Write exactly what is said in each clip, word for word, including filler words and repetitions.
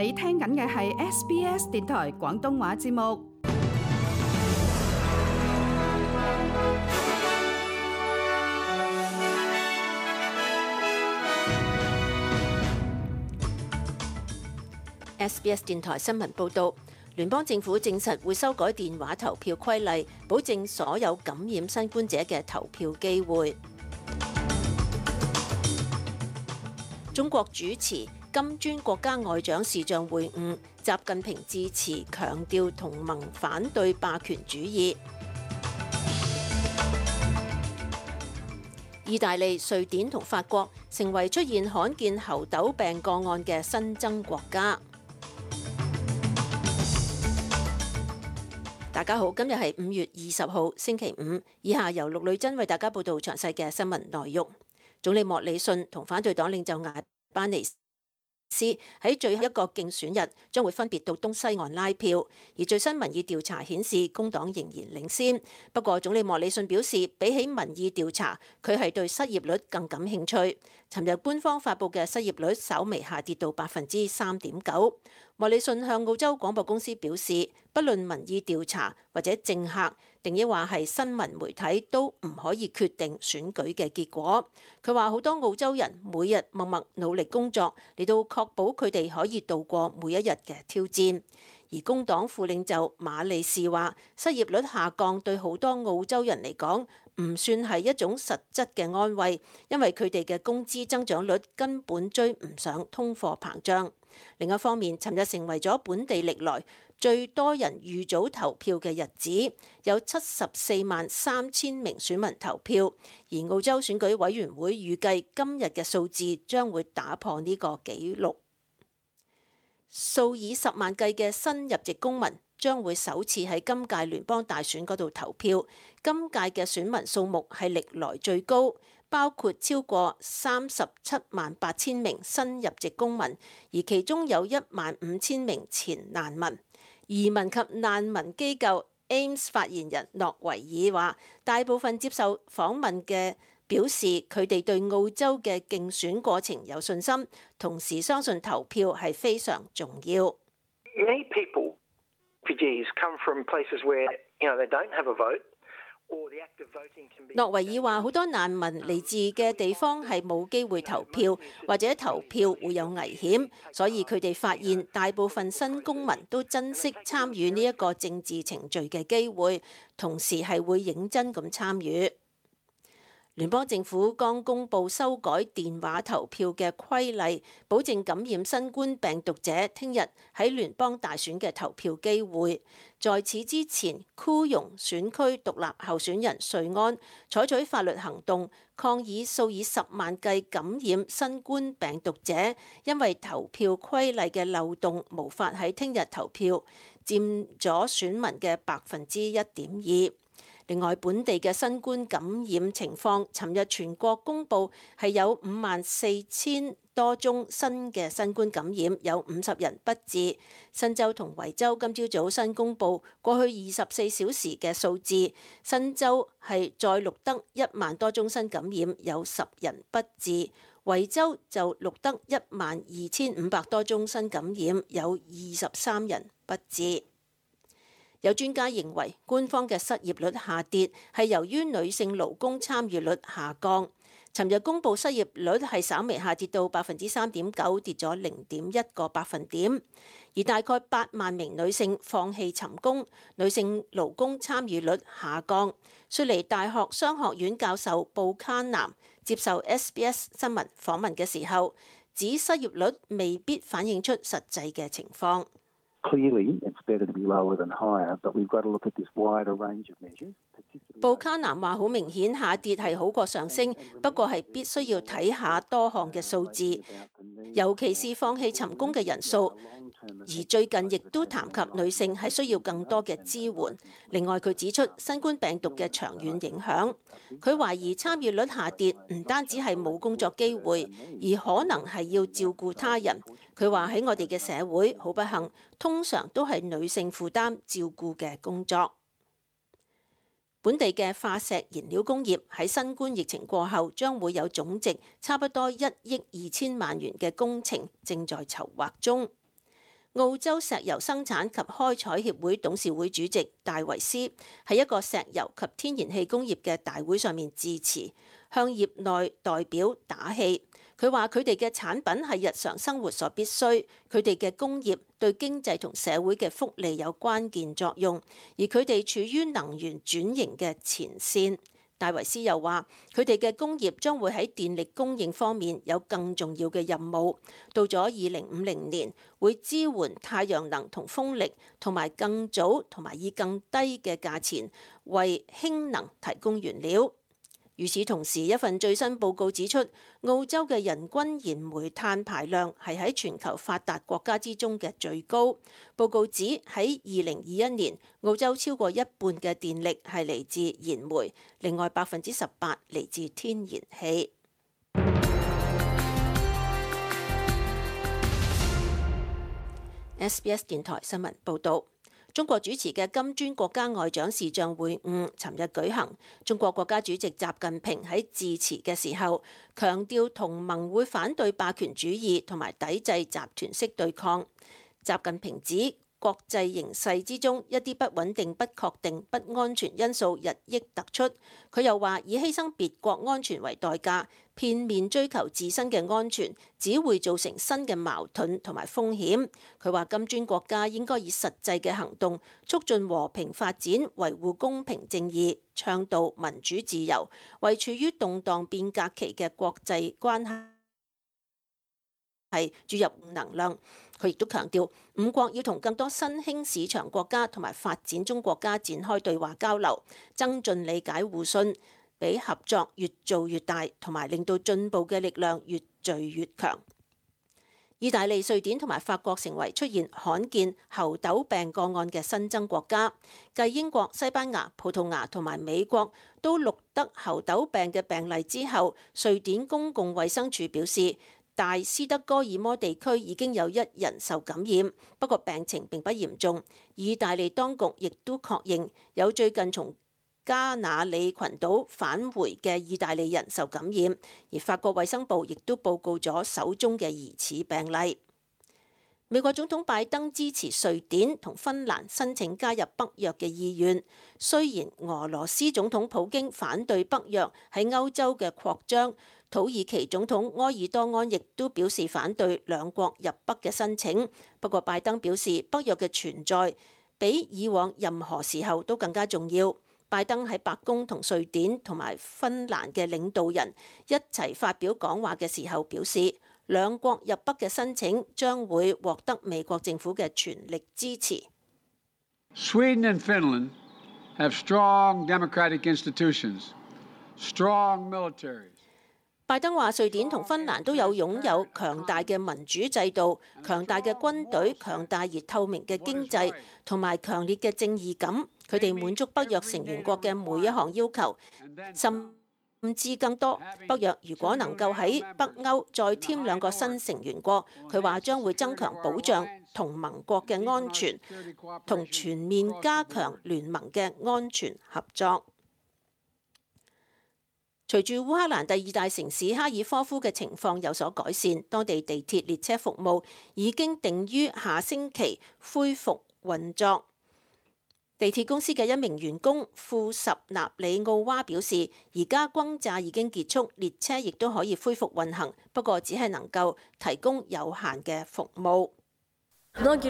你聽緊嘅係 S B S 電台廣東話節目。S B S 電台新聞報導，聯邦政府證實會修改電話投票規例，保證所有感染新冠者嘅投票機會。中國主持金磚國家外長視像會晤，習近平致辭強調同盟反對霸權主義。意大利、瑞典同法國成為出現罕見猴痘病個案嘅新增國家。大家好，今日係五月二十號星期五，以下由陸女珍為大家報道詳細嘅新聞內容。總理莫里遜同反對黨領袖艾班尼斯喺最後一個競選日將會分別到東西岸拉票，而最新民意調查顯示工黨仍然領先。不過總理莫里遜表示，比起民意調查，佢係對失業率更感興趣。尋日官方發布嘅失業率稍微下跌到百分之三點九。莫里遜向澳洲廣播公司表示，不論民意調查或者政客，定抑話係新聞媒體都唔可以決定選舉嘅結果。佢話好多澳洲人每日默默努力工作，嚟到確保佢哋可以度過每一日嘅挑戰。而工黨副領袖馬利士話，失業率下降對好多澳洲人嚟講唔算係一種實質嘅安慰，因為佢哋嘅工資增長率根本追唔上通貨膨脹。另一方面，尋日成為咗本地歷來最多人預早投票嘅日子，有七十四萬三千名選民投票，而澳洲選舉委員會預計今日嘅數字將會打破呢個紀錄。數以十萬計嘅新入籍公民將會首次喺今屆聯邦大選嗰度投票，今屆嘅選民數目係歷來最高，包括超過三十七萬八千名新入籍公民，而其中有一萬五千名前難民。移民及難民機構 A M S 發言人諾維爾話，大部分接受訪問嘅表示佢哋對澳洲嘅競選過程有信心，同時相信投票係非常重要。Many people, refugees, come from places where, you know, they don't have a vote. 諾維爾話：好多難民嚟自嘅地方係冇機會投票，或者投票會有危險，所以佢哋發現大部分新公民都珍惜參與呢一個政治程序嘅機會，同時係會認真咁參與。聯邦政府剛公布修改電話投票嘅規例，保證感染新冠病毒者聽日喺聯邦大選嘅投票機會。在此之前，庫容選區獨立候選人瑞安採取法律行動，抗議數以十萬計感染新冠病毒者因為投票規例嘅漏洞無法喺聽日投票，佔咗選民嘅百分之一點二。另外，本地嘅新冠感染情況，尋日全國公佈係有五萬四千多宗新嘅新冠感染，有五十人不治。新州同維州今朝早新公佈過去二十四小時嘅數字，新州係再錄得一萬多宗新感染，有十人不治；維州就錄得一萬二千五百多宗新感染，有二十三人不治。有專家認為，官方嘅失業率下跌係由於女性勞工參與率下降。尋日公佈失業率係稍微下跌到百分之三點九，跌咗零點一個百分點。而大概八萬名女性放棄尋工，女性勞工參與率下降。雪梨大學商學院教授布卡南接受 S B S 新聞訪問嘅時候，指失業率未必反映出實際嘅情況。布卡南話：好明顯下跌係好過上升，不過係必須要睇下多項嘅數字，尤其是放棄尋工嘅人數。而最近亦都談及女性係需要更多嘅支援。另外，佢指出新冠病毒嘅長遠影響。佢懷疑參與率下跌唔單止係冇工作機會，而可能係要照顧他人。佢話喺我哋嘅社會好不幸，通常都係女性負擔照顧嘅工作。本地嘅化石燃料工業喺新冠疫情過後，將會有總值差不多一億二千萬元嘅工程正在籌劃中。澳洲石油生產及開採協會董事會主席戴維斯喺一個石油及天然氣工業嘅大會上面致辭，向業內代表打氣。佢話佢哋嘅產品係日常生活所必須，佢哋嘅工業對經濟同社會嘅福利有關鍵作用，而佢哋處於能源轉型嘅前線。戴維斯又話：佢哋嘅工業將會喺電力供應方面有更重要嘅任務。到咗二零五零年，會支援太陽能同風力，同埋更早同埋以更低嘅價錢為氫能提供原料。與此同時，一份最新報告指出，澳洲嘅人均燃煤碳排量係喺全球發達國家之中嘅最高。報告指喺二零二一年，澳洲超過一半嘅電力係嚟自燃煤，另外百分之十八嚟自天然氣。S B S 電台新聞報導。中國主持嘅金磚國家外長視像會晤尋日舉行。中國國家主席習近平喺致辭嘅時候強調，同盟會反對霸權主義同埋抵制集團式對抗。習近平指，國際形勢之中一啲不穩定、不確定、不安全因素日益突出。佢又話，以犧牲別國安全為代價，片面追求自身嘅安全，只會造成新嘅矛盾同埋風險。佢話金磚國家應該以實際嘅行動促進和平發展，維護公平正義，倡導民主自由，為處於動盪變革期嘅國際關係注入能量。佢亦都強調，五國要同更多新興市場國家同埋發展中國家展開對話交流，增進理解互信，俾合作越做越大，同埋令到進步嘅力量越聚越強。意大利、瑞典同埋法國成為出現罕見猴痘病個案嘅新增國家，繼英國、西班牙、葡萄牙同埋美國都錄得猴痘病嘅病例之後，瑞典公共衛生署表示，大斯德哥爾摩地區已經有一人受感染，不過病情並不嚴重。意大利當局亦都確認有最近從加那利群島返回嘅意大利人受感染，而法國衛生部亦都報告咗首宗嘅疑似病例。美國總統拜登支持瑞典同芬蘭申請加入北約嘅意願，雖然俄羅斯總統普京反對北約喺歐洲嘅擴張，土耳其總統埃爾多安亦都表示反對兩國入北嘅申請。不過拜登表示北約嘅存在比以往任何時候都更加重要。拜登喺白宮同瑞典同埋芬蘭嘅領導人一齊發表講話嘅時候表示，兩國入北嘅申請將會獲得美國政府嘅全力支持。Sweden and Finland have strong democratic institutions, strong militaries. 拜登話，瑞典同芬蘭都有擁有強大嘅民主制度、強大嘅軍隊、強大而透明嘅經濟同埋強烈嘅正義感。佢哋滿足北約成員國嘅每一項要求，甚至更多。北約如果能夠喺北歐再添兩個新成員國，佢話將會增強保障同盟國嘅安全，同全面加強聯盟嘅安全合作。隨住烏克蘭第二大城市哈爾科夫嘅情況有所改善，當地地鐵列車服務已經定於下星期恢復運作。地鐵公司嘅一名員工庫什納里奧娃表示，而家轟炸已經結束，列車亦都可以恢復運行，不過只係能夠提供有限嘅服務。A lot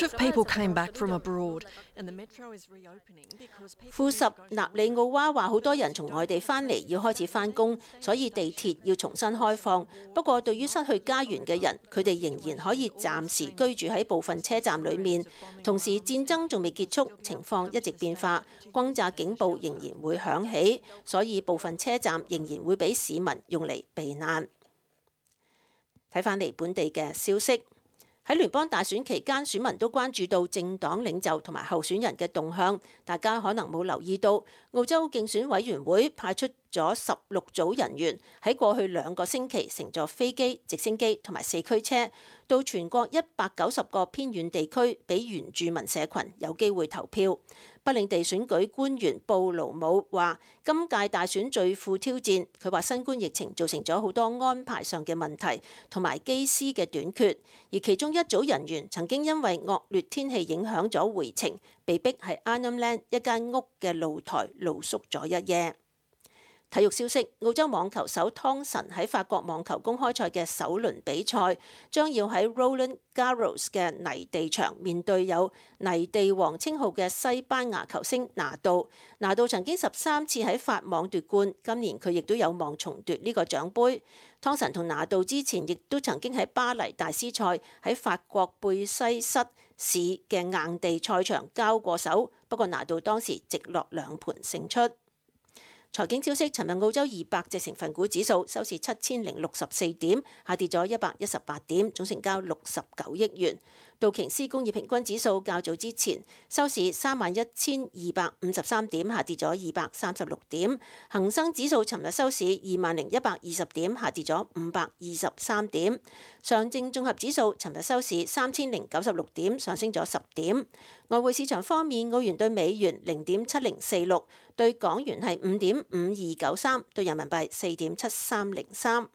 of people came back from abroad, and the metro is reopening because people. 庫什納里奧娃話：好多人從外地翻嚟，要開始翻工，所以地鐵要重新開放。不過，對於失去家園嘅人，佢哋仍然可以暫時居住喺部分車站裡面。同時，戰爭仲未結束，情況一直變化，轟炸警報仍然會響起，所以部分車站仍然會俾市民用嚟避難。睇返嚟本地嘅消息，喺聯邦大選期間，選民都關注到政黨領袖同埋候選人嘅動向。大家可能冇留意到，澳洲競選委員會派出咗十六組人員喺過去兩個星期乘坐飛機、直升機同埋四驅車到全國一百九十個偏遠地區，俾原住民社群有機會投票。北領地選舉官員布魯姆話：今屆大選最富挑戰。佢話新冠疫情造成咗好多安排上嘅問題，同埋機師嘅短缺。而其中一組人員曾經因為惡劣天氣影響咗回程，被逼喺 Arnhem Land 一間屋嘅露台露宿咗一夜。體育消息：澳洲網球手湯臣喺法國網球公開賽嘅首輪比賽，將要喺 Roland Garros 嘅泥地場面對有泥地王稱號嘅西班牙球星拿度。拿度曾經十三次喺法網奪冠，今年佢亦都有望重奪呢個獎杯。湯臣同拿度之前亦都曾經喺巴黎大師賽喺法國貝西塞市嘅硬地賽場交過手，不過拿度當時直落兩盤勝出。財經消息：尋日澳洲二百隻成分股指數收市七千零六十四點，下跌咗一百一十八點，總成交六十九億元。道瓊斯工業平均指數較早之前收市三萬一千二百五十三點，下跌咗二百三十六點。恒生指數尋日收市二萬零一百二十點，下跌咗五百二十三點。上證綜合指數尋日收市三千零九十六點，上升咗十點。外匯市場方面，澳元對美元零點七零四六，對港元係五點五二九三，對人民幣四點七三零三。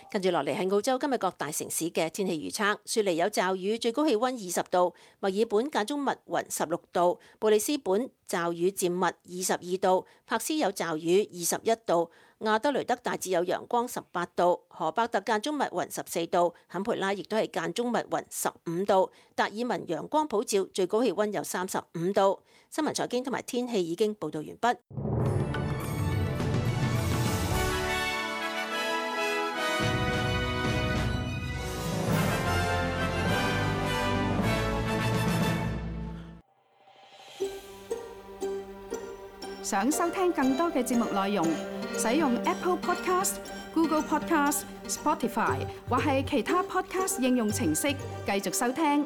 跟住落嚟係澳洲今日各大城市嘅天氣預測：雪梨有驟雨，最高氣温二十度；墨爾本間中密雲十六度；布里斯本驟雨漸密二十二度；柏斯有驟雨二十一度；亞德雷德大致有陽光十八度；荷伯特間中密雲十四度；坎培拉亦都係間中密雲十五度；達爾文陽光普照，最高氣温有三十五度。新聞財經同埋天氣已經報導完畢。想收聽更多嘅節目內容，使用 Apple Podcast、Google Podcast、Spotify 或係其他 Podcast 應用程式繼續收聽。